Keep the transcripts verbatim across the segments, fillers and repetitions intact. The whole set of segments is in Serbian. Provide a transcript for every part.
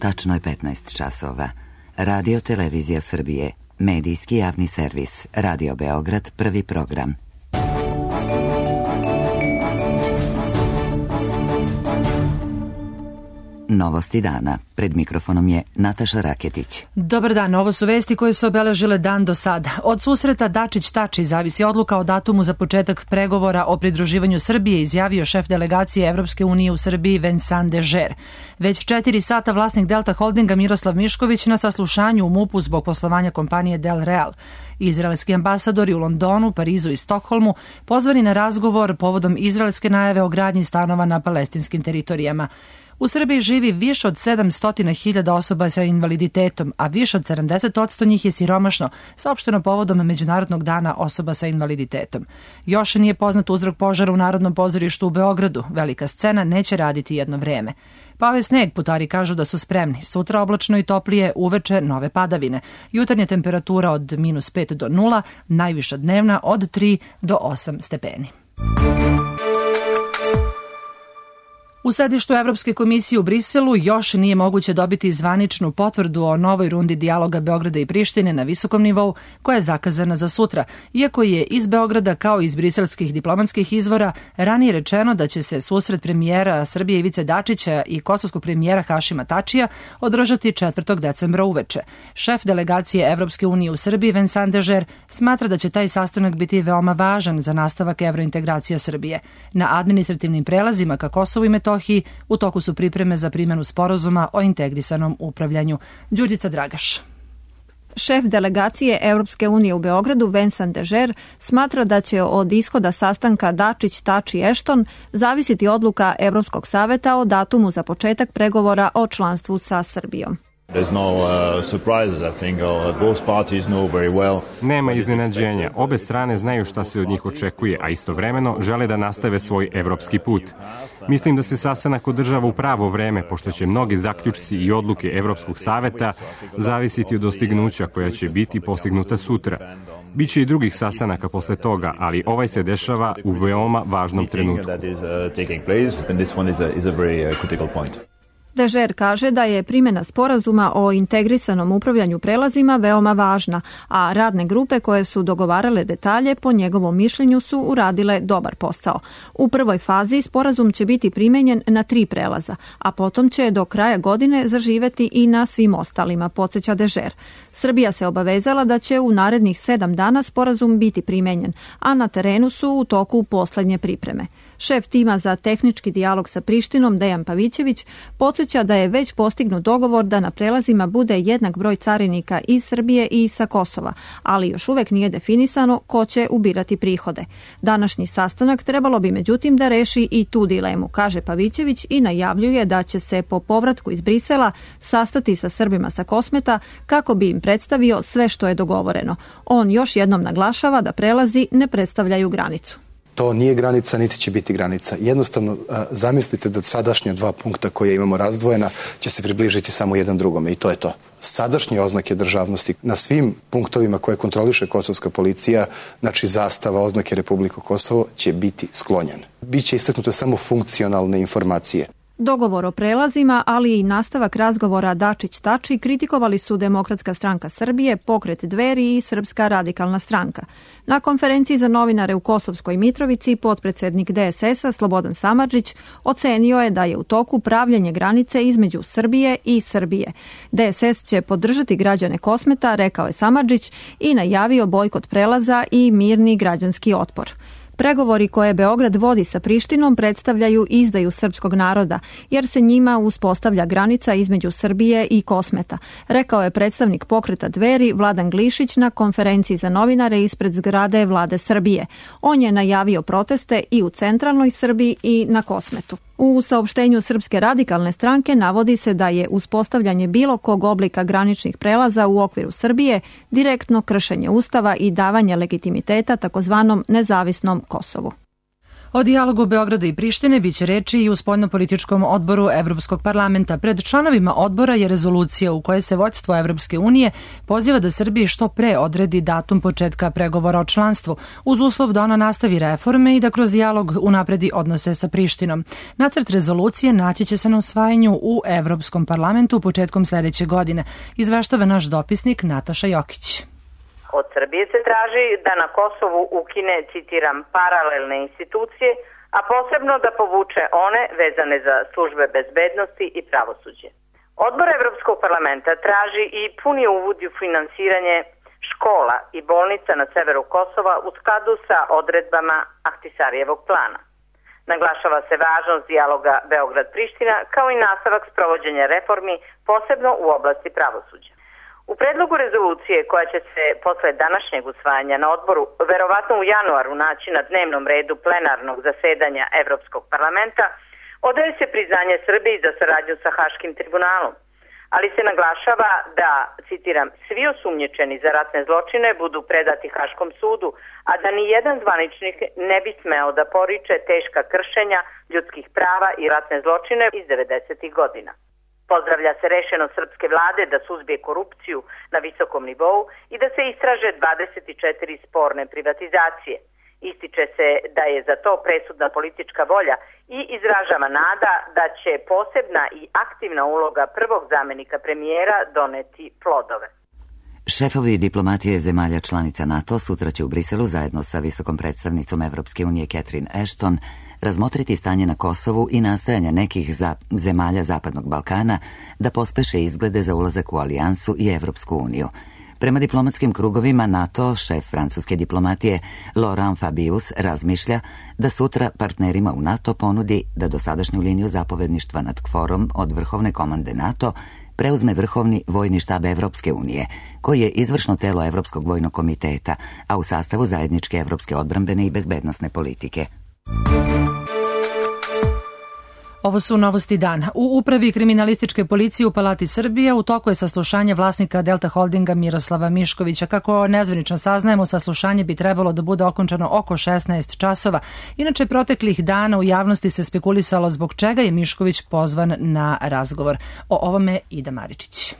tačno je petnaest časova. Radio Televizija Srbije, medijski javni servis, Radio Beograd, prvi program. Novosti dana. Pred mikrofonom je Nataša Raketić. Dobar dan, ovo su vesti koje su obeležile dan do sada. Od susreta Dačić-Tači zavisi odluka o datumu za početak pregovora o pridruživanju Srbije, izjavio šef delegacije Evropske unije u Srbiji Vincent Dežer. Već četiri sata vlasnik Delta Holdinga Miroslav Mišković na saslušanju u MUP-u zbog poslovanja kompanije Del Real. Izraelski ambasadori u Londonu, Parizu i Stokholmu pozvani na razgovor povodom izraelske najave o gradnji stanova na palestinskim teritorijama. U Srbiji živi više od sedamsto hiljada osoba sa invaliditetom, a više od sedamdeset posto njih je siromašno, saopšteno povodom Međunarodnog dana osoba sa invaliditetom. Još nije poznat uzrok požara u Narodnom pozorištu u Beogradu. Velika scena neće raditi jedno vreme. Pao je sneg, putari kažu da su spremni. Sutra oblačno i toplije, uveče nove padavine. Jutarnja temperatura od minus pet do nula, najviša dnevna od tri do osam stepeni. U sedištu Evropske komisije u Briselu još nije moguće dobiti zvaničnu potvrdu o novoj rundi dijaloga Beograda i Prištine na visokom nivou koja je zakazana za sutra, iako je iz Beograda kao iz briselskih diplomatskih izvora ranije rečeno da će se susret premijera Srbije Ivice Dačića i kosovskog premijera Hašima Tačija održati četvrtog decembra uveče. Šef delegacije Evropske unije u Srbiji Vincent Dežer smatra da će taj sastanak biti veoma važan za nastavak evrointegracija Srbije. Na administrativnim prelazima ka Kosovu i Metohiji u toku su pripreme za primjenu sporazuma o integrisanom upravljanju. Đurđica Dragaš. Šef delegacije Evropske unije u Beogradu Vincent Dežer smatra da će od ishoda sastanka Dačić-Tači-Ešton zavisiti odluka Evropskog saveta o datumu za početak pregovora o članstvu sa Srbijom. Nema iznenađenja. Obe strane znaju šta se od njih očekuje, a istovremeno žele da nastave svoj evropski put. Mislim da se sastanak održava u pravo vreme, pošto će mnogi zaključci i odluke Evropskog saveta zavisiti od dostignuća koja će biti postignuta sutra. Biće i drugih sastanaka posle toga, ali ovaj se dešava u veoma važnom trenutku. Dežer kaže da je primjena sporazuma o integrisanom upravljanju prelazima veoma važna, a radne grupe koje su dogovarale detalje po njegovom mišljenju su uradile dobar posao. U prvoj fazi sporazum će biti primenjen na tri prelaza, a potom će do kraja godine zaživeti i na svim ostalima, podsjeća Dežer. Srbija se obavezala da će u narednih sedam dana sporazum biti primenjen, a na terenu su u toku poslednje pripreme. Šef tima za tehnički dijalog sa Prištinom, Dejan Pavićević, podsjeća da je već postignut dogovor da na prelazima bude jednak broj carinika iz Srbije i sa Kosova, ali još uvek nije definisano ko će ubirati prihode. Današnji sastanak trebalo bi međutim da reši i tu dilemu, kaže Pavićević i najavljuje da će se po povratku iz Brisela sastati sa Srbima sa Kosmeta kako bi im predstavio sve što je dogovoreno. On još jednom naglašava da prelazi ne predstavljaju granicu. To nije granica, niti će biti granica. Jednostavno, zamislite da sadašnja dva punkta koje imamo razdvojena će se približiti samo jedan drugome i to je to. Sadašnje oznake državnosti na svim punktovima koje kontroliše kosovska policija, znači zastava, oznake Republike Kosovo, će biti sklonjen. Biće istaknute samo funkcionalne informacije. Dogovor o prelazima, ali i nastavak razgovora Dačić-Tači kritikovali su Demokratska stranka Srbije, Pokret Dveri i Srpska radikalna stranka. Na konferenciji za novinare u Kosovskoj Mitrovici potpredsednik D S S-a Slobodan Samardžić ocenio je da je u toku pravljenje granice između Srbije i Srbije. D S S će podržati građane Kosmeta, rekao je Samardžić i najavio bojkot prelaza i mirni građanski otpor. Pregovori koje Beograd vodi sa Prištinom predstavljaju izdaju srpskog naroda, jer se njima uspostavlja granica između Srbije i Kosmeta, rekao je predstavnik Pokreta Dveri Vladan Glišić na konferenciji za novinare ispred zgrade Vlade Srbije. On je najavio proteste i u centralnoj Srbiji i na Kosmetu. U saopštenju Srpske radikalne stranke navodi se da je uspostavljanje bilo kog oblika graničnih prelaza u okviru Srbije direktno kršenje Ustava i davanje legitimiteta takozvanom nezavisnom Kosovu. O dijalogu Beograda i Prištine biće reči i u spoljnopolitičkom odboru Evropskog parlamenta. Pred članovima odbora je rezolucija u kojoj se vođstvo Evropske unije poziva da Srbiji što pre odredi datum početka pregovora o članstvu, uz uslov da ona nastavi reforme i da kroz dijalog unapredi odnose sa Prištinom. Nacrt rezolucije naći će se na usvajanju u Evropskom parlamentu početkom sledeće godine, izveštava naš dopisnik Nataša Jokić. Od Srbije se traži da na Kosovu ukine, citiram, paralelne institucije, a posebno da povuče one vezane za službe bezbednosti i pravosuđe. Odbor Evropskog parlamenta traži i puni uvod u finansiranje škola i bolnica na severu Kosova u skladu sa odredbama Ahtisarijevog plana. Naglašava se važnost dijaloga Beograd-Priština kao i nastavak sprovođenja reformi, posebno u oblasti pravosuđa. U predlogu rezolucije koja će se posle današnjeg usvajanja na odboru verovatno u januaru naći na dnevnom redu plenarnog zasedanja Evropskog parlamenta, odaje se priznanje Srbiji za saradnju sa Haškim tribunalom, ali se naglašava da, citiram, svi osumnjičeni za ratne zločine budu predati Haškom sudu, a da ni jedan zvaničnik ne bi smeo da poriče teška kršenja ljudskih prava i ratne zločine iz devedesetih godina. Pozdravlja se rešenost srpske vlade da suzbije korupciju na visokom nivou i da se istraže dvadeset četiri sporne privatizacije. Ističe se da je za to presudna politička volja i izražava nada da će posebna i aktivna uloga prvog zamenika premijera doneti plodove. Šefovi diplomatije zemalja članica NATO sutra će u Briselu zajedno sa visokom predstavnicom Evropske unije Catherine Ashton razmotriti stanje na Kosovu i nastojanja nekih za zemalja Zapadnog Balkana da pospeše izglede za ulazak u alijansu i Evropsku uniju. Prema diplomatskim krugovima NATO, šef francuske diplomatije Laurent Fabius razmišlja da sutra partnerima u NATO ponudi da dosadašnju liniju zapovedništva nad KFOR-om od vrhovne komande NATO preuzme vrhovni vojni štab Evropske unije, koji je izvršno telo Evropskog vojnog komiteta, a u sastavu zajedničke evropske odbrambene i bezbednosne politike. Ovo su novosti dana. U upravi kriminalističke policije u Palati Srbije u toku je saslušanje vlasnika Delta Holdinga Miroslava Miškovića. Kako nezvanično saznajemo, saslušanje bi trebalo da bude okončano oko šesnaest časova. Inače, proteklih dana u javnosti se spekulisalo zbog čega je Mišković pozvan na razgovor. O ovome Ida Maričić.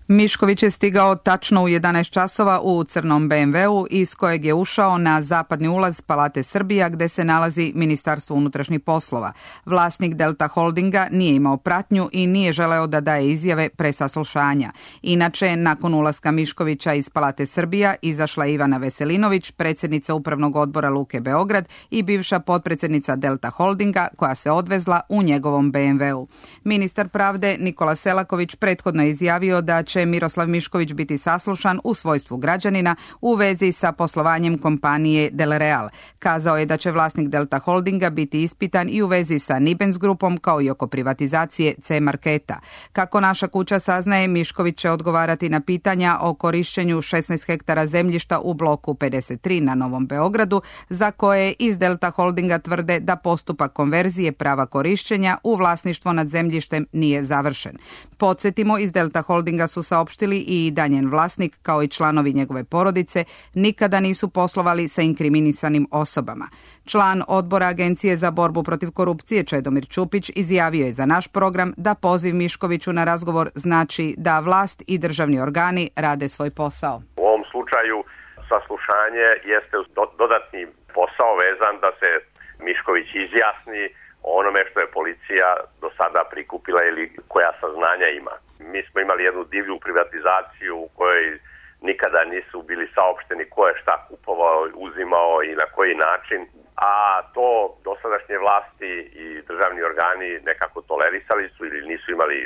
Mišković je stigao tačno u jedanaest časova u crnom be em veu iz kojeg je ušao na zapadni ulaz Palate Srbija gde se nalazi Ministarstvo unutrašnjih poslova. Vlasnik Delta Holdinga nije imao pratnju i nije želeo da daje izjave pre saslušanja. Inače, nakon ulaska Miškovića iz Palate Srbija izašla Ivana Veselinović, predsjednica Upravnog odbora Luke Beograd i bivša potpredsjednica Delta Holdinga koja se odvezla u njegovom be em veu. Ministar pravde Nikola Selaković prethodno je izjavio da će Miroslav Mišković biti saslušan u svojstvu građanina u vezi sa poslovanjem kompanije Del Real. Kazao je da će vlasnik Delta Holdinga biti ispitan i u vezi sa Nibens grupom kao i oko privatizacije C Marketa. Kako naša kuća saznaje, Mišković će odgovarati na pitanja o korišćenju šesnaest hektara zemljišta u bloku pedeset tri na Novom Beogradu, za koje iz Delta Holdinga tvrde da postupak konverzije prava korišćenja u vlasništvo nad zemljištem nije završen. Podsjetimo, iz Delta Holdinga su saopštili i da njen vlasnik, kao i članovi njegove porodice, nikada nisu poslovali sa inkriminisanim osobama. Član odbora Agencije za borbu protiv korupcije Čedomir Čupić izjavio je za naš program da poziv Miškoviću na razgovor znači da vlast i državni organi rade svoj posao. U ovom slučaju saslušanje jeste dodatni posao vezan da se Mišković izjasni o onome što je policija do sada prikupila ili koja saznanja ima. Mi smo imali jednu divlju privatizaciju u kojoj nikada nisu bili saopšteni ko je šta kupovao, uzimao i na koji način, a to dosadašnje vlasti i državni organi nekako tolerisali su ili nisu imali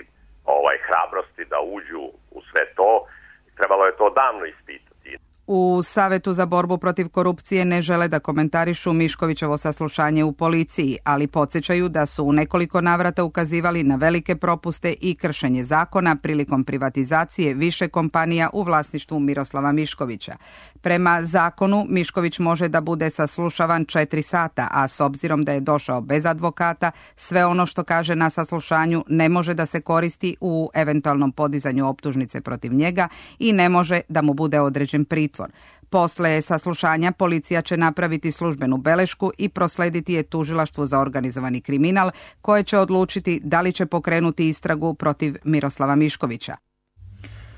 ovaj hrabrosti da uđu u sve to. Trebalo je to davno ispitati. U Savetu za borbu protiv korupcije ne žele da komentarišu Miškovićevo saslušanje u policiji, ali podsjećaju da su u nekoliko navrata ukazivali na velike propuste i kršenje zakona prilikom privatizacije više kompanija u vlasništvu Miroslava Miškovića. Prema zakonu, Mišković može da bude saslušavan četiri sata, a s obzirom da je došao bez advokata, sve ono što kaže na saslušanju ne može da se koristi u eventualnom podizanju optužnice protiv njega i ne može da mu bude određen pritvor. Posle saslušanja policija će napraviti službenu belešku i proslediti je tužilaštvu za organizovani kriminal, koje će odlučiti da li će pokrenuti istragu protiv Miroslava Miškovića.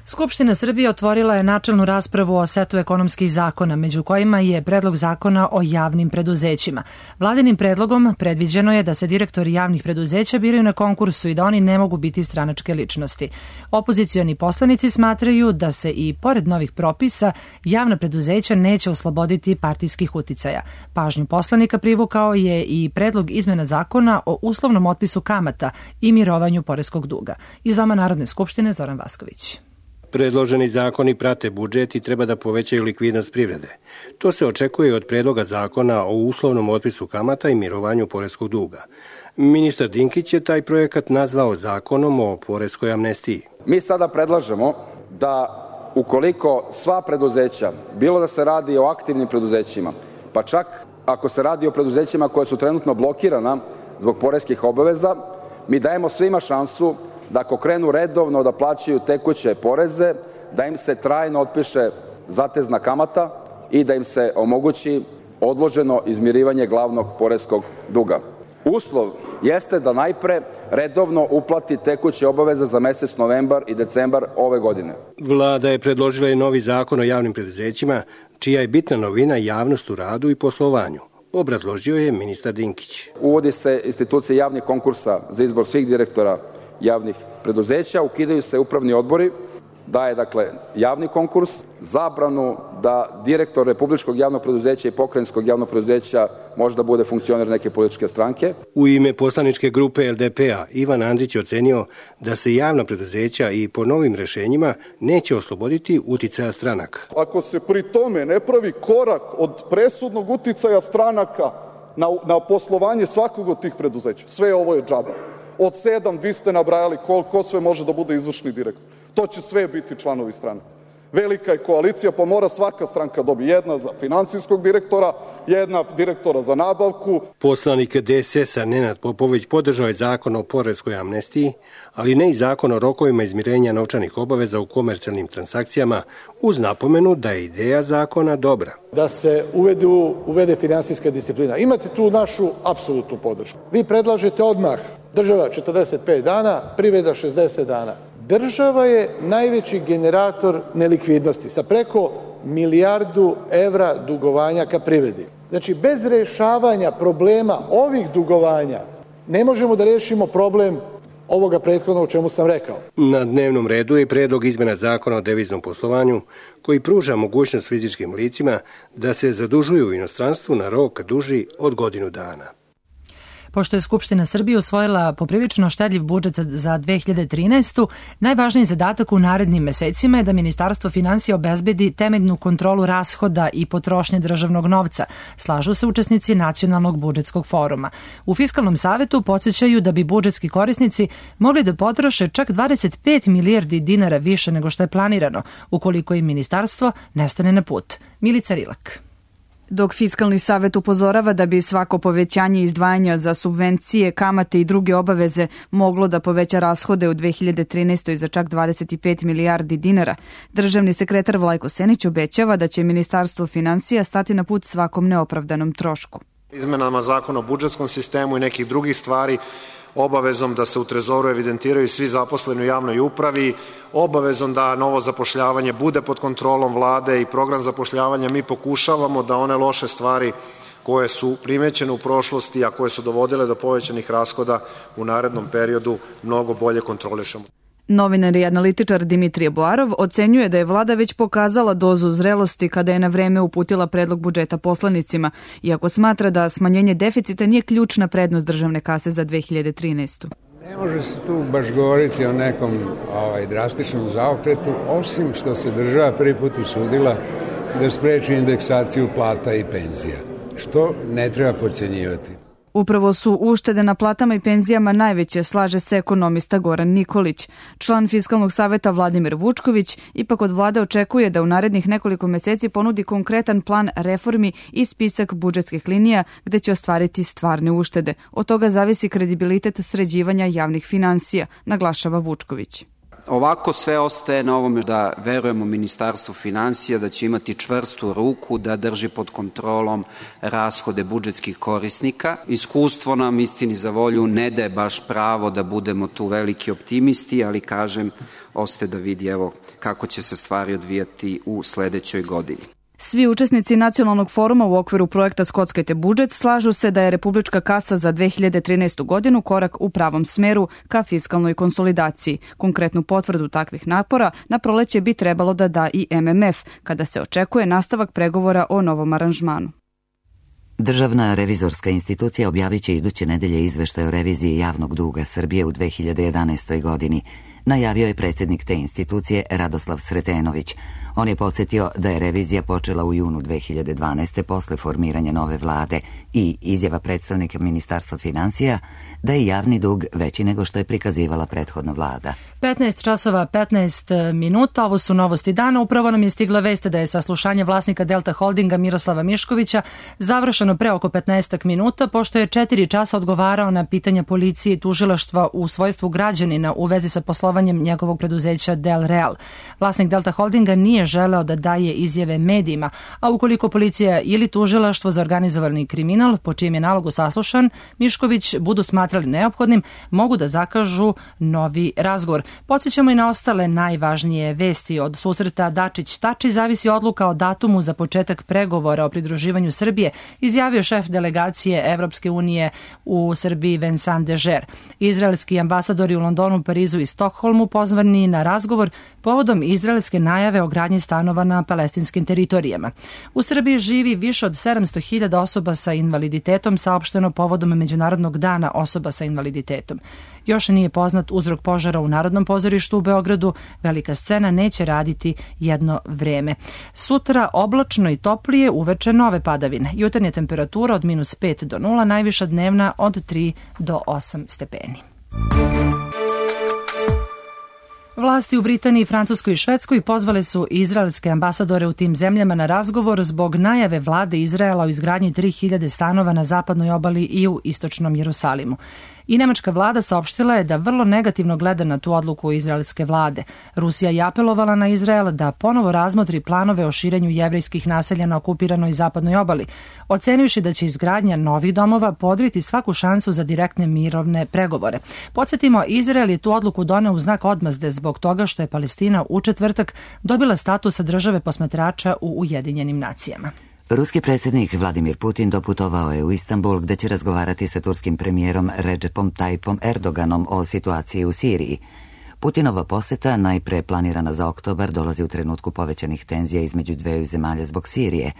Skupština Srbije otvorila je načelnu raspravu o setu ekonomskih zakona, među kojima je predlog zakona o javnim preduzećima. Vladinim predlogom predviđeno je da se direktori javnih preduzeća biraju na konkursu i da oni ne mogu biti stranačke ličnosti. Opozicioni poslanici smatraju da se i pored novih propisa javna preduzeća neće osloboditi partijskih uticaja. Pažnju poslanika privukao je i predlog izmena zakona o uslovnom otpisu kamata i mirovanju poreskog duga. Iz Doma Narodne skupštine Zoran Vasković. Predloženi zakoni prate budžet i treba da povećaju likvidnost privrede. To se očekuje od predloga zakona o uslovnom otpisu kamata i mirovanju poreskog duga. Ministar Dinkić je taj projekat nazvao zakonom o poreskoj amnestiji. Mi sada predlažemo da ukoliko sva preduzeća, bilo da se radi o aktivnim preduzećima, pa čak ako se radi o preduzećima koja su trenutno blokirana zbog poreskih obaveza, mi dajemo svima šansu da ako krenu redovno da plaćaju tekuće poreze, da im se trajno otpiše zatezna kamata i da im se omogući odloženo izmirivanje glavnog poreskog duga. Uslov jeste da najpre redovno uplati tekuće obaveze za mesec novembar i decembar ove godine. Vlada je predložila i novi zakon o javnim preduzećima, čija je bitna novina javnost u radu i poslovanju. Obrazložio je ministar Dinkić. Uvodi se institucija javnih konkursa za izbor svih direktora javnih preduzeća, ukidaju se upravni odbori, daje dakle javni konkurs, zabranu da direktor republičkog javnog preduzeća i pokrajinskog javnog preduzeća može da bude funkcioner neke političke stranke. U ime poslaničke grupe L D P-a Ivan Andrić ocenio da se javna preduzeća i po novim rešenjima neće osloboditi uticaja stranaka. Ako se pri tome ne pravi korak od presudnog uticaja stranaka na, na poslovanje svakog od tih preduzeća, sve ovo je džaba. Od sedam, vi ste nabrajali ko, ko sve može da bude izvršni direktor. To će sve biti članovi stranaka. Velika je koalicija, pa mora svaka stranka dobi. Jedna za finansijskog direktora, jedna direktora za nabavku. Poslanik D S S-a Nenad Popović podržao je zakon o poreskoj amnestiji, ali ne i zakon o rokovima izmirenja novčanih obaveza u komercijalnim transakcijama, uz napomenu da je ideja zakona dobra. Da se uvedu, uvede finansijska disciplina. Imate tu našu apsolutnu podršku. Vi predlažete odmah država četrdeset pet dana, privreda šezdeset dana. Država je najveći generator nelikvidnosti sa preko milijardu evra dugovanja ka privredi. Znači, bez rešavanja problema ovih dugovanja ne možemo da rešimo problem ovoga prethodno o čemu sam rekao. Na dnevnom redu je predlog izmena zakona o deviznom poslovanju koji pruža mogućnost fizičkim licima da se zadužuju u inostranstvu na rok duži od godinu dana. Pošto je Skupština Srbije usvojila poprilično štedljiv budžet za dve hiljade trinaestu. najvažniji zadatak u narednim mesecima je da Ministarstvo finansija obezbedi temeljnu kontrolu rashoda i potrošnje državnog novca, slažu se učesnici Nacionalnog budžetskog foruma. U Fiskalnom savetu podsjećaju da bi budžetski korisnici mogli da potroše čak dvadeset pet milijardi dinara više nego što je planirano, ukoliko im ministarstvo ne stane na put. Milica Rilak. Dok Fiskalni savet upozorava da bi svako povećanje izdvajanja za subvencije, kamate i druge obaveze moglo da poveća rashode u dve hiljade trinaestoj. za čak dvadeset pet milijardi dinara, državni sekretar Vlajko Senić obećava da će Ministarstvo finansija stati na put svakom neopravdanom trošku. Izmenama zakona o budžetskom sistemu i nekih drugih stvari, obavezom da se u trezoru evidentiraju svi zaposleni u javnoj upravi, obavezom da novo zapošljavanje bude pod kontrolom vlade i program zapošljavanja, mi pokušavamo da one loše stvari koje su primećene u prošlosti, a koje su dovodile do povećanih rashoda u narednom periodu, mnogo bolje kontrolišemo. Novinar i analitičar Dimitrije Boarov ocenjuje da je vlada već pokazala dozu zrelosti kada je na vreme uputila predlog budžeta poslanicima, iako smatra da smanjenje deficita nije ključna prednost državne kase za dve hiljade trinaestu. Ne može se tu baš govoriti o nekom ovaj, drastičnom zaokretu, osim što se država prvi put usudila da spreči indeksaciju plata i penzija, što ne treba podcenjivati. Upravo su uštede na platama i penzijama najveće, slaže se ekonomista Goran Nikolić. Član Fiskalnog saveta Vladimir Vučković ipak od vlade očekuje da u narednih nekoliko meseci ponudi konkretan plan reformi i spisak budžetskih linija gde će ostvariti stvarne uštede. Od toga zavisi kredibilitet sređivanja javnih finansija, naglašava Vučković. Ovako sve ostaje na ovome da verujemo Ministarstvu finansija da će imati čvrstu ruku, da drži pod kontrolom rashode budžetskih korisnika. Iskustvo nam, istini za volju, ne daje baš pravo da budemo tu veliki optimisti, ali kažem, ostaje da vidi evo kako će se stvari odvijati u sledećoj godini. Svi učesnici nacionalnog foruma u okviru projekta Skockajte budžet slažu se da je republička kasa za dve hiljade trinaestu godinu korak u pravom smeru ka fiskalnoj konsolidaciji. Konkretnu potvrdu takvih napora na proleće bi trebalo da da i M M F, kada se očekuje nastavak pregovora o novom aranžmanu. Državna revizorska institucija objavit će iduće nedelje izveštaj o reviziji javnog duga Srbije u dve hiljade jedanaestoj godini. Najavio je predsjednik te institucije Radoslav Sretenović. On je podsjetio da je revizija počela u junu dve hiljade dvanaeste. posle formiranja nove vlade i izjava predstavnika Ministarstva finansija da je javni dug veći nego što je prikazivala prethodna vlada. petnaest časova petnaest minuta, ovo su novosti dana. Upravo nam je stigla vest da je saslušanje vlasnika Delta Holdinga Miroslava Miškovića završeno pre oko petnaest minuta, pošto je četiri časa odgovarao na pitanja policije i tužilaštva u svojstvu građanina u vezi sa poslovanjem njegovog preduzeća Del Real. Vlasnik Delta Holdinga nije želeo da daje izjave medijima, a ukoliko policija ili tužilaštvo za organizovani kriminal, po čijem je nalogu saslušan, Mišković budu smatrali neophodnim, mogu da zakažu novi razgovor. Podsjećamo i na ostale najvažnije vesti. Od susreta Dačić-Tači zavisi odluka o datumu za početak pregovora o pridruživanju Srbije, izjavio šef delegacije Evropske unije u Srbiji Vincent Dežer. Izraelski ambasadori u Londonu, Parizu i Stokholmu pozvani na razgovor povodom izraelske najave o gradnji stanova na palestinskim teritorijama. U Srbiji živi više od sedamsto hiljada osoba sa invaliditetom, saopšteno povodom Međunarodnog dana osoba sa invaliditetom. Još nije poznat uzrok požara u Narodnom pozorištu u Beogradu. Velika scena neće raditi jedno vreme. Sutra oblačno i toplije, uveče nove padavine. Jutarnja temperatura od minus pet do nula, najviša dnevna od tri do osam stepeni. Vlasti u Britaniji, Francuskoj i Švedskoj pozvale su izraelske ambasadore u tim zemljama na razgovor zbog najave vlade Izraela o izgradnji tri hiljade stanova na zapadnoj obali i u istočnom Jerusalimu. I nemačka vlada saopštila je da vrlo negativno gleda na tu odluku izraelske vlade. Rusija je apelovala na Izrael da ponovo razmotri planove o širenju jevrejskih naselja na okupiranoj zapadnoj obali, ocenivši da će izgradnja novih domova podriti svaku šansu za direktne mirovne pregovore. Podsjetimo, Izrael je tu odluku doneo u znak odmazde zbog toga što je Palestina u četvrtak dobila statusa države posmatrača u Ujedinjenim nacijama. Ruski predsjednik Vladimir Putin doputovao je u Istanbul gde će razgovarati sa turskim premijerom Recepom Tayyipom Erdoganom o situaciji u Siriji. Putinova poseta, najpre planirana za oktobar, dolazi u trenutku povećanih tenzija između dveju zemalja zbog Sirije.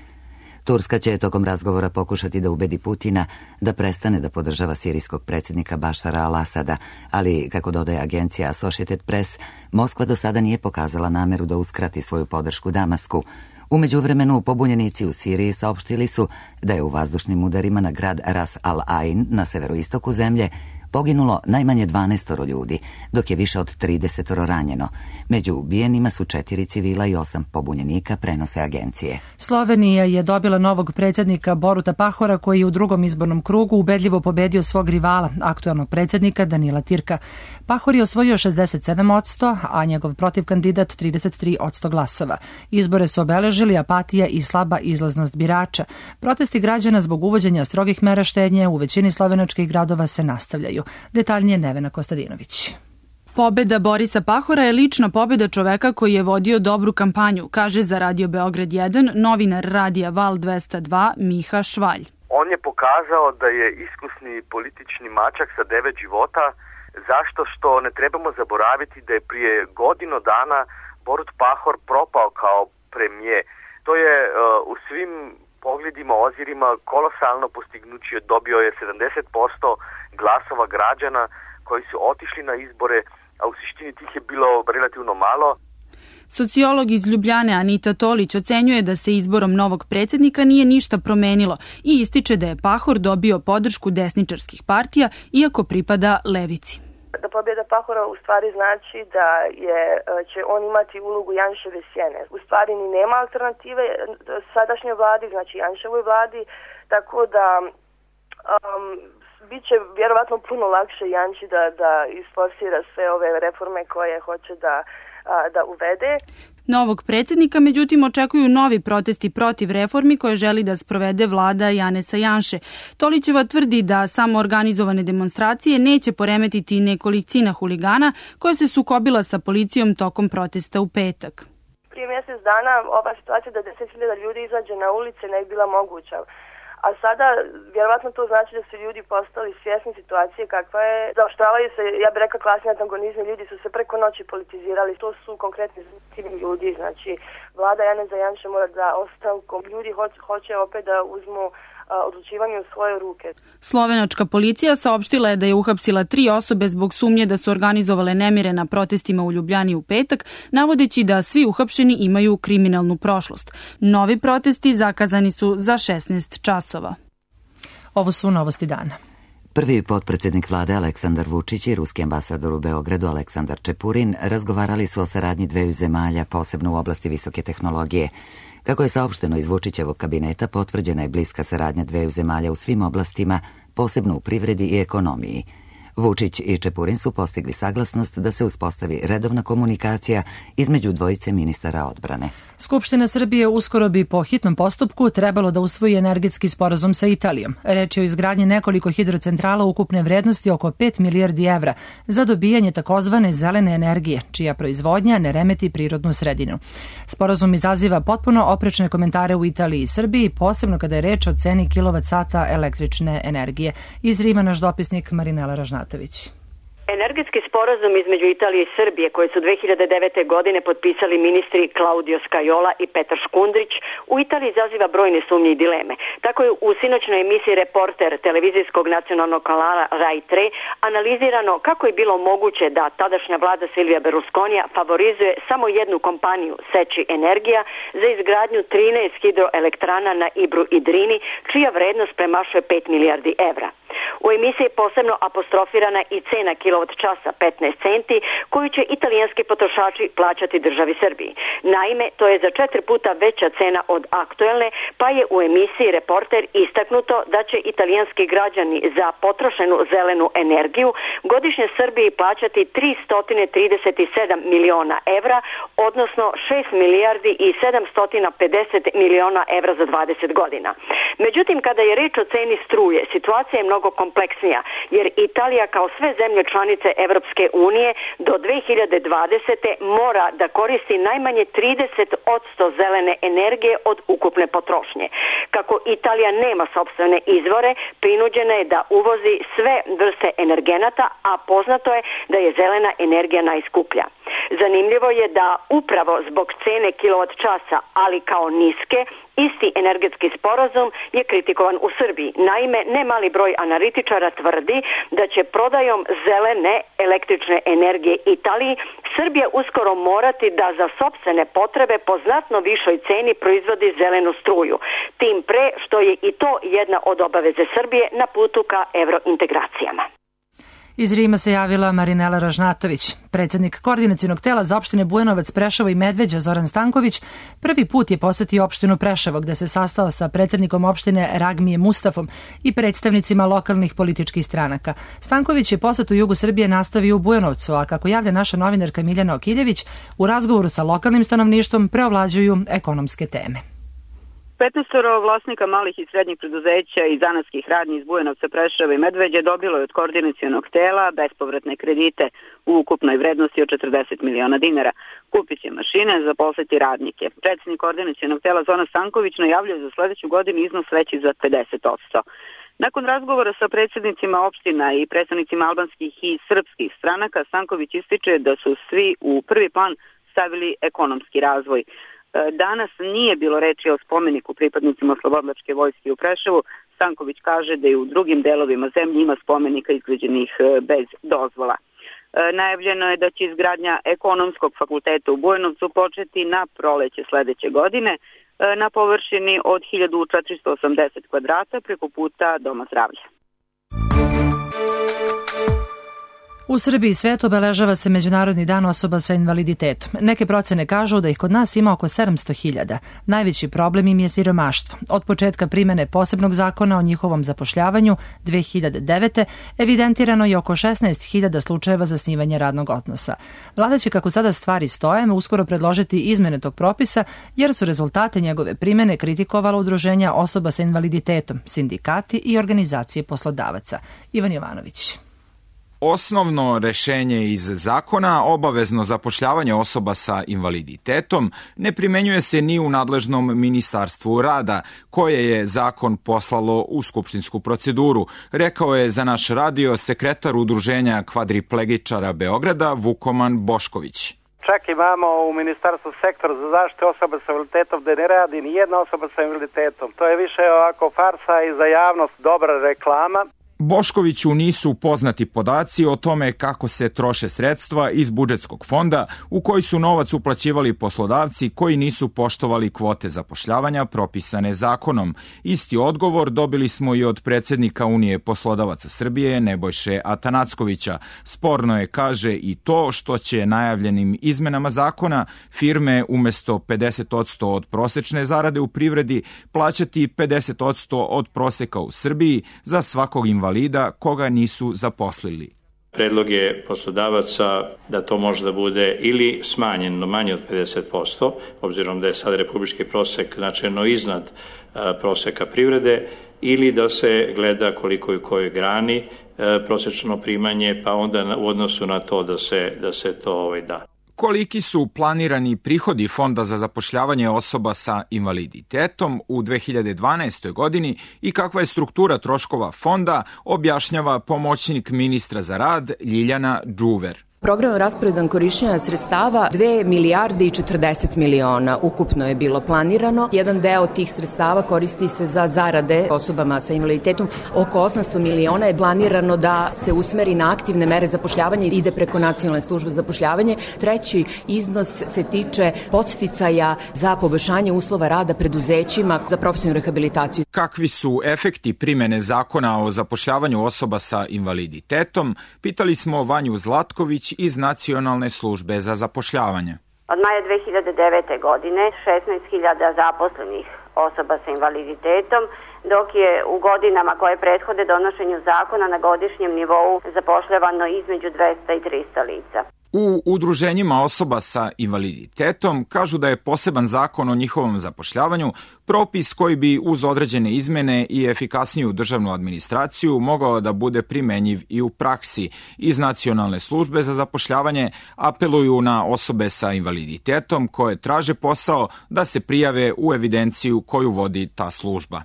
Turska će tokom razgovora pokušati da ubedi Putina da prestane da podržava sirijskog predsjednika Bašara al-Asada, ali, kako dodaje agencija Associated Press, Moskva do sada nije pokazala nameru da uskrati svoju podršku Damasku. U međuvremenu, pobunjenici u Siriji saopštili su da je u vazdušnim udarima na grad Ras al-Ain na severoistoku zemlje poginulo najmanje dvanaestoro ljudi, dok je više od tridesetoro ranjeno. Među ubijenima su četiri civila i osam pobunjenika, prenose agencije. Slovenija je dobila novog predsjednika Boruta Pahora, koji je u drugom izbornom krugu ubedljivo pobedio svog rivala, aktualnog predsjednika Danila Tirka. Pahor je osvojio šezdeset sedam posto, a njegov protivkandidat trideset tri posto glasova. Izbore su obeležili apatija i slaba izlaznost birača. Protesti građana zbog uvođenja strogih mera štednje u većini slovenačkih gradova se nastavljaju. Detaljnije Nevena Kostadinović. Pobeda Borisa Pahora je lična pobeda čoveka koji je vodio dobru kampanju, kaže za Radio Beograd jedan novinar Radija Val dvesta dva Miha Švalj. On je pokazao da je iskusni politični mačak sa devet života, zašto što ne trebamo zaboraviti da je prije godinu dana Borut Pahor propao kao premijer. To je uh, u svim pogledima, ozirima kolosalno postignuće. Dobio je sedamdeset posto glasova građana koji su otišli na izbore, a u suštini tih je bilo relativno malo. Sociolog iz Ljubljane Anita Tolić ocenjuje da se izborom novog predsjednika nije ništa promenilo i ističe da je Pahor dobio podršku desničarskih partija, iako pripada levici. Da pobjeda Pahora u stvari znači da je, će on imati ulogu Janševe sjene. U stvari ni nema alternative sadašnjoj vladi, znači Janševoj vladi, tako da um, biće vjerovatno puno lakše Janši da, da isforsira sve ove reforme koje hoće da, a, da uvede. Novog predsjednika, međutim, očekuju novi protesti protiv reformi koje želi da sprovede vlada Janeza Janše. Tolićeva tvrdi da samo organizovane demonstracije neće poremetiti nekolicina huligana koja se sukobila sa policijom tokom protesta u petak. Prije mjesec dana ova situacija da deset hiljada ljudi izađe na ulice ne bi bila moguća. A sada, vjerovatno to znači da su ljudi postali svjesni situacije kakva je. Zaoštravaju se, ja bih rekla, klasni antagonizmi, ljudi su se preko noći politizirali. To su konkretni ljudi, znači vlada Janeza Janše mora da ostavku. Ljudi hoće, hoće opet da uzmu odlučivanje u svoje ruke. Slovenačka policija saopštila je da je uhapsila tri osobe zbog sumnje da su organizovale nemire na protestima u Ljubljani u petak, navodeći da svi uhapšeni imaju kriminalnu prošlost. Novi protesti zakazani su za šesnaest časova. Ovo su novosti dana. Prvi potpredsjednik vlade Aleksandar Vučić i ruski ambasador u Beogradu Aleksandar Čepurin razgovarali su o saradnji dveju zemalja, posebno u oblasti visoke tehnologije. Kako je saopšteno iz Vučićevog kabineta, potvrđena je bliska saradnja dveju zemalja u svim oblastima, posebno u privredi i ekonomiji. Vučić i Čepurin su postigli saglasnost da se uspostavi redovna komunikacija između dvojice ministara odbrane. Skupština Srbije uskoro bi po hitnom postupku trebalo da usvoji energetski sporazum sa Italijom. Reč je o izgradnji nekoliko hidrocentrala ukupne vrednosti oko pet milijardi evra za dobijanje takozvane zelene energije, čija proizvodnja ne remeti prirodnu sredinu. Sporazum izaziva potpuno oprečne komentare u Italiji i Srbiji, posebno kada je reč o ceni kilovat sata električne energije. Iz Rima naš dopisnik Marinela Ražnatović. Energetski sporazum između Italije i Srbije koje su dve hiljade devete. godine potpisali ministri Claudio Scajola i Petar Škundrić u Italiji izaziva brojne sumnje i dileme. Tako je u sinoćnoj emisiji Reporter televizijskog nacionalnog kanala Rai tri analizirano kako je bilo moguće da tadašnja vlada Silvija Berlusconija favorizuje samo jednu kompaniju, Seči Energija, za izgradnju trinaest hidroelektrana na Ibru i Drini, čija vrednost premašuje pet milijardi evra. U emisiji je posebno apostrofirana i cena kilovat časa petnaest centi koju će italijanski potrošači plaćati državi Srbiji. Naime, to je za četiri puta veća cena od aktuelne, pa je u emisiji Reporter istaknuto da će italijanski građani za potrošenu zelenu energiju godišnje Srbiji plaćati tristo trideset sedam miliona evra, odnosno šest milijardi i sedamsto pedeset miliona evra za dvadeset godina. Međutim, kada je reč o ceni struje, situacija je mnogo kompleksnija, jer Italija kao sve zemlje članice Evropske unije do dve hiljade dvadesete. mora da koristi najmanje trideset posto zelene energije od ukupne potrošnje. Kako Italija nema sopstvene izvore, prinuđena je da uvozi sve vrste energenata, a poznato je da je zelena energija najskuplja. Zanimljivo je da upravo zbog cene kilovat časa, ali kao niske, isti energetski sporazum je kritikovan u Srbiji. Naime, ne mali broj analitičara tvrdi da će prodajom zelene električne energije Italiji Srbija uskoro morati da za sopstvene potrebe po znatno višoj ceni proizvodi zelenu struju. Tim pre što je i to jedna od obaveze Srbije na putu ka evrointegracijama. Iz Rima se javila Marinela Ražnatović. Predsjednik koordinacionog tela za opštine Bujanovac, Preševo i Medveđa Zoran Stanković prvi put je posetio opštinu Preševo gde se sastao sa predsjednikom opštine Ragmijem Mustafom i predstavnicima lokalnih političkih stranaka. Stanković je posjet u jugu Srbije nastavio u Bujanovcu, a kako javlja naša novinarka Miljana Okiljević, u razgovoru sa lokalnim stanovništvom preovlađuju ekonomske teme. petnaestoro vlasnika malih i srednjih preduzeća i zanatskih radnji iz Bujanovca, Preševa i Medveđe dobilo je od koordinacionog tela bespovratne kredite u ukupnoj vrednosti od četrdeset miliona dinara. Kupit će mašine, zaposliti radnike. Predsjednik koordinacionog tela Zoran Stanković najavljuje za sljedeću godinu iznos veći za pedeset posto. Nakon razgovora sa predsjednicima opština i predstavnicima albanskih i srpskih stranaka, Stanković ističe da su svi u prvi plan stavili ekonomski razvoj. Danas nije bilo reči o spomeniku pripadnicima Oslobodilačke vojske u Preševu. Stanković kaže da i u drugim delovima zemlje ima spomenika izgrađenih bez dozvola. Najavljeno je da će izgradnja ekonomskog fakulteta u Bujanovcu početi na proleće sljedeće godine na površini od hiljadu četiristo osamdeset kvadrata preko puta Doma zdravlja. U Srbiji i svetu obeležava se Međunarodni dan osoba sa invaliditetom. Neke procene kažu da ih kod nas ima oko sedamsto hiljada. Najveći problem im je siromaštvo. Od početka primene posebnog zakona o njihovom zapošljavanju dve hiljade devete. evidentirano je oko šesnaest hiljada slučajeva zasnivanja radnog odnosa. Vlada će, kako sada stvari stoje, uskoro predložiti izmene tog propisa, jer su rezultate njegove primene kritikovala udruženja osoba sa invaliditetom, sindikati i organizacije poslodavaca. Ivan Jovanović. Osnovno rešenje iz zakona, obavezno zapošljavanje osoba sa invaliditetom, ne primenjuje se ni u nadležnom Ministarstvu rada, koje je zakon poslalo u skupštinsku proceduru, rekao je za naš radio sekretar udruženja kvadriplegičara Beograda Vukoman Bošković. Čak imamo u Ministarstvu sektor za zaštitu osoba sa invaliditetom gde ne radi ni jedna osoba sa invaliditetom. To je više ovako farsa i za javnost dobra reklama. Boškoviću nisu poznati podaci o tome kako se troše sredstva iz budžetskog fonda u koji su novac uplaćivali poslodavci koji nisu poštovali kvote zapošljavanja propisane zakonom. Isti odgovor dobili smo i od predsednika Unije poslodavaca Srbije Nebojše Atanackovića. Sporno je, kaže, i to što će najavljenim izmenama zakona firme umesto pedeset odsto od prosečne zarade u privredi plaćati pedeset odsto od proseka u Srbiji za svakog invalida invalida koga nisu zaposlili. Predlog je poslodavaca da to može da bude ili smanjeno manje od pedeset posto, obzirom da je sad republički prosek značajno iznad proseka privrede, ili da se gleda koliko je u kojoj grani prosečno primanje, pa onda u odnosu na to da se, da se to ovaj, da. Koliki su planirani prihodi Fonda za zapošljavanje osoba sa invaliditetom u dve hiljade dvanaestoj. godini i kakva je struktura troškova fonda, objašnjava pomoćnik ministra za rad Ljiljana Đuver. Program rasporedan korišćenja sredstava dve milijarde i četrdeset miliona ukupno je bilo planirano. Jedan deo tih sredstava koristi se za zarade osobama sa invaliditetom. Oko osamsto miliona je planirano da se usmeri na aktivne mere zapošljavanja i ide preko nacionalne službe za zapošljavanje. Treći iznos se tiče podsticaja za poboljšanje uslova rada preduzećima za profesionalnu rehabilitaciju. Kakvi su efekti primene zakona o zapošljavanju osoba sa invaliditetom? Pitali smo Vanju Zlatković iz Nacionalne službe za zapošljavanje. Od maja dve hiljade devete. godine šesnaest hiljada zaposlenih osoba sa invaliditetom, dok je u godinama koje prethode donošenju zakona na godišnjem nivou zapošljavano između dvesta i trista lica. U udruženjima osoba sa invaliditetom kažu da je poseban zakon o njihovom zapošljavanju propis koji bi uz određene izmene i efikasniju državnu administraciju mogao da bude primenjiv i u praksi. Iz Nacionalne službe za zapošljavanje apeluju na osobe sa invaliditetom koje traže posao da se prijave u evidenciju koju vodi ta služba.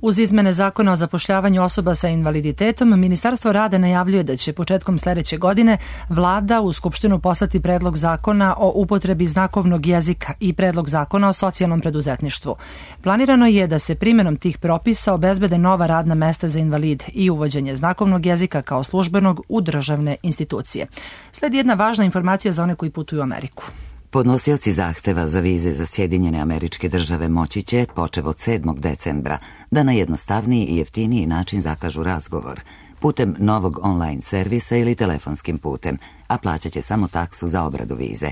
Uz izmene zakona o zapošljavanju osoba sa invaliditetom, Ministarstvo rada najavljuje da će početkom sledeće godine Vlada u Skupštinu poslati predlog zakona o upotrebi znakovnog jezika i predlog zakona o socijalnom preduzetništvu. Planirano je da se primenom tih propisa obezbede nova radna mesta za invalide i uvođenje znakovnog jezika kao službenog u državne institucije. Sledi jedna važna informacija za one koji putuju u Ameriku. Podnosioci zahteva za vize za Sjedinjene Američke Države moći će, počev od sedmog decembra, da na jednostavniji i jeftiniji način zakažu razgovor putem novog online servisa ili telefonskim putem, a plaćat će samo taksu za obradu vize.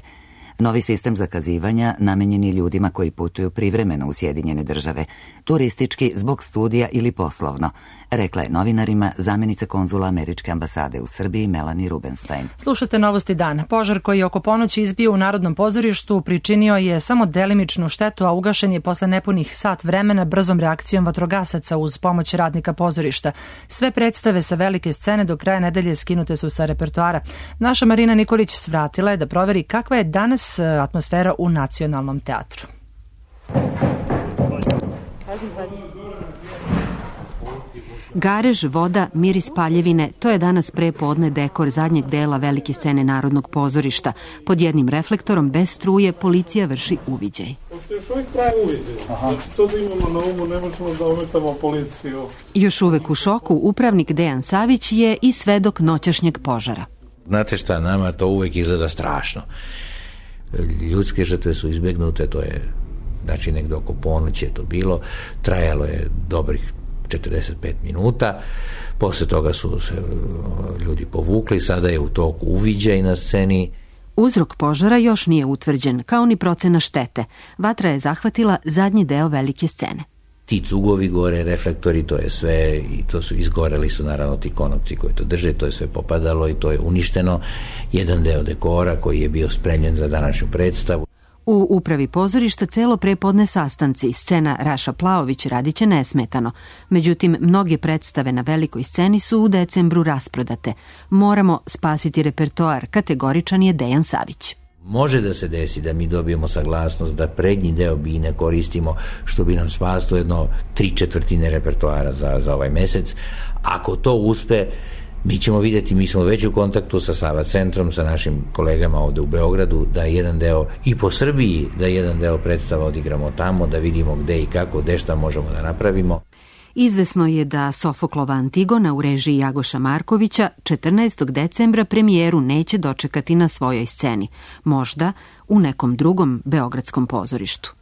Novi sistem zakazivanja namenjen je ljudima koji putuju privremeno u Sjedinjene Države, turistički, zbog studija ili poslovno, rekla je novinarima zamjenica konzula Američke ambasade u Srbiji Melanie Rubenstein. Slušate Novosti dan. Požar koji je oko ponoći izbio u Narodnom pozorištu pričinio je samo delimičnu štetu, a ugašen je posle nepunih sat vremena brzom reakcijom vatrogasaca uz pomoć radnika pozorišta. Sve predstave sa velike scene do kraja nedelje skinute su sa repertoara. Naša Marina Nikolić svratila je da proveri kakva je danas atmosfera u Nacionalnom teatru. Garež, voda, miris paljevine, to je danas pre podne dekor zadnjeg dela velike scene Narodnog pozorišta. Pod jednim reflektorom, bez struje, policija vrši uviđaj. Pošto još uvijek traje uviđaj, znači to da imamo na umu, ne možemo da umetamo policiju. Još uvek u šoku, upravnik Dejan Savić je i svedok noćašnjeg požara. Znate šta, nama to uvek izgleda strašno. Ljudske žrtve su izbjegnute, to je, znači negde oko ponoći je to bilo, trajalo je dobrih četrdeset pet minuta. Posle toga su se ljudi povukli, sada je u toku uviđaj na sceni. Uzrok požara još nije utvrđen, kao ni procena štete. Vatra je zahvatila zadnji deo velike scene. Ti cugovi gore, reflektori, to je sve, i to su izgoreli su naravno ti konopci koji to drže, to je sve popadalo i to je uništeno. Jedan deo dekora koji je bio spremljen za današnju predstavu. U upravi pozorišta celo prepodne sastanci, scena Raša Plaović radiće nesmetano. Međutim, mnoge predstave na velikoj sceni su u decembru rasprodate. Moramo spasiti repertoar, kategoričan je Dejan Savić. Može da se desi da mi dobijemo saglasnost da prednji deo bine koristimo, što bi nam spasilo jedno tri četvrtine repertoara za, za ovaj mesec. Ako to uspe, mi ćemo vidjeti, mi smo već u kontaktu sa Sava centrom, sa našim kolegama ovde u Beogradu, da jedan deo i po Srbiji, da jedan deo predstava odigramo tamo, da vidimo gde i kako, gde šta možemo da napravimo. Izvesno je da Sofoklova Antigona u režiji Jagoša Markovića četrnaestog decembra premijeru neće dočekati na svojoj sceni, možda u nekom drugom beogradskom pozorištu.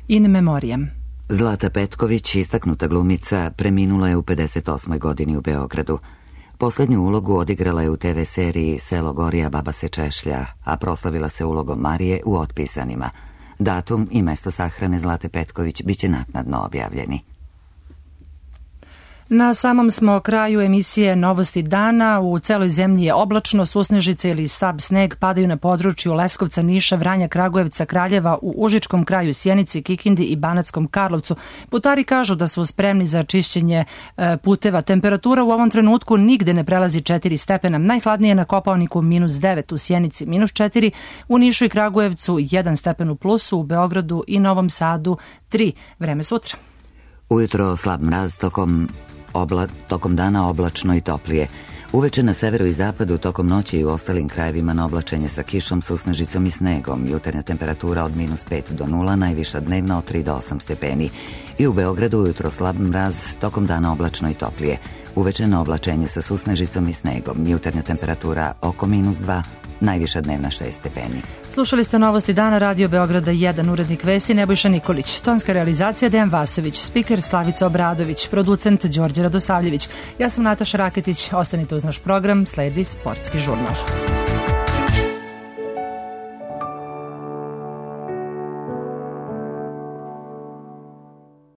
In memoriam. Zlata Petković, istaknuta glumica, preminula je u pedeset osmoj godini u Beogradu. Poslednju ulogu odigrala je u te ve seriji Selo Gorija, baba se češlja, a proslavila se ulogom Marije u Otpisanima. Datum i mesto sahrane Zlate Petković biće naknadno objavljeni. Na samom smo kraju emisije Novosti dana. U celoj zemlji je oblačno, susnežice ili sab sneg padaju na području Leskovca, Niša, Vranja, Kragujevca, Kraljeva, u Užičkom kraju, Sjenici, Kikindi i Banatskom Karlovcu. Putari kažu da su spremni za čišćenje e, puteva. Temperatura u ovom trenutku nigde ne prelazi četiri stepena. Najhladnije je na Kopaoniku minus devet, u Sjenici minus četiri, u Nišu i Kragujevcu jedan stepen u plusu, u Beogradu i Novom Sadu tri. Vreme sutra. Ujutro slab mraz, tokom Obla, tokom dana oblačno i toplije. Uveče na severu i zapadu, tokom noći i u ostalim krajevima na oblačenje sa kišom, susnežicom i snegom. Jutarnja temperatura od minus pet do nula, najviša dnevna od tri do osam stepeni. I u Beogradu ujutro slab mraz, tokom dana oblačno i toplije. Uveče na oblačenje sa susnežicom i snegom. Jutarnja temperatura oko minus dva, najviša dnevna šest stepeni. Slušali ste Novosti dana, Radio Beograda jedan, urednik vesti Nebojša Nikolić, tonska realizacija Dejan Vasović, spiker Slavica Obradović, producent Đorđe Radosavljević. Ja sam Nataša Raketić, ostanite uz naš program, sledi Sportski žurnal.